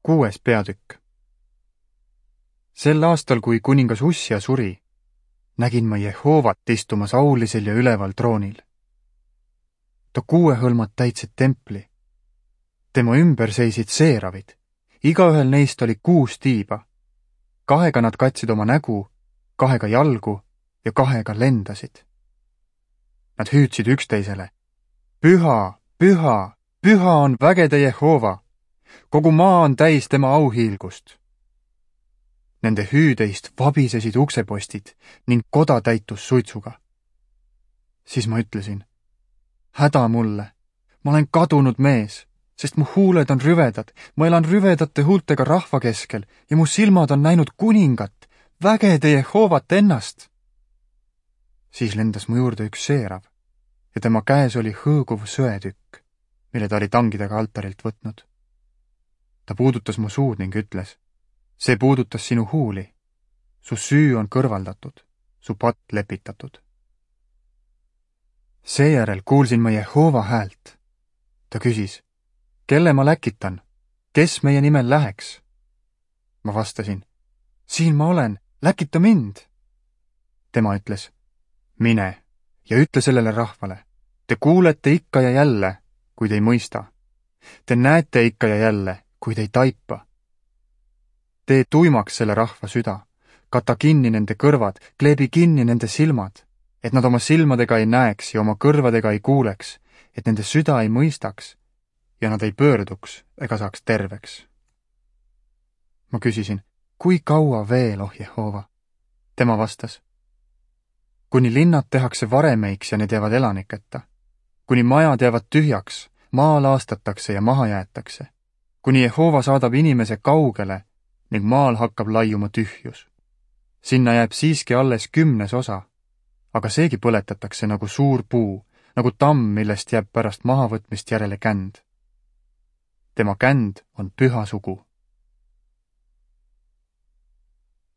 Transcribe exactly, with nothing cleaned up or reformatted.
Kuues peatükk. Sel aastal, kui kuningas Ussia suri, nägin ma Jehoovat istumas aulisel ja üleval troonil. Ta kuuehõlmad täitsid templi. Tema ümber seisid seeravid. Igaühel neist oli kuus tiiba. Kahega nad katsid oma nägu, kahega jalgu ja kahega lendasid. Nad hüüdsid üksteisele: Püha, püha, püha on vägede Jehova! Kogu maa on täis tema auhiilgust. Nende hüüdeist vabisesid uksepostid ning koda täitus suitsuga. Siis ma ütlesin: häda mulle, ma olen kadunud mees, sest mu huuled on rüvedad, ma elan rüvedate huultega rahva keskel ja mu silmad on näinud kuningat, vägede Jehovat ennast. Siis lendas mu juurde üks seerav ja tema käes oli hõõguv söetükk, mille ta oli tangidega altarilt võtnud. Ta puudutas mu suud ning ütles: see puudutas sinu huuli. Su süü on kõrvaldatud, su patt lepitatud. Seejärel kuulsin ma Jehova häält. Ta küsis: kelle ma läkitan? Kes meie nimel läheks? Ma vastasin: siin ma olen, läkita mind. Tema ütles: mine ja ütle sellele rahvale. Te kuulete ikka ja jälle, kuid ei mõista. Te näete ikka ja jälle, kuid ei taipa. Tee tuimaks selle rahva süda, kata kinni nende kõrvad, kleebi kinni nende silmad, et nad oma silmadega ei näeks ja oma kõrvadega ei kuuleks, et nende süda ei mõistaks ja nad ei pöörduks ega saaks terveks. Ma küsisin: kui kaua veel, oh Jehova? Tema vastas: kuni linnad tehakse varemeiks ja need jäävad elaniketa, kuni majad jäävad tühjaks, maa laastatakse ja maha jäetakse, kuni Jehova saadab inimese kaugele ning maal hakkab laiuma tühjus. Sinna jääb siiski alles kümnes osa, aga seegi põletatakse nagu suur puu, nagu tamm, millest jääb pärast mahavõtmist järele känd. Tema känd on püha sugu.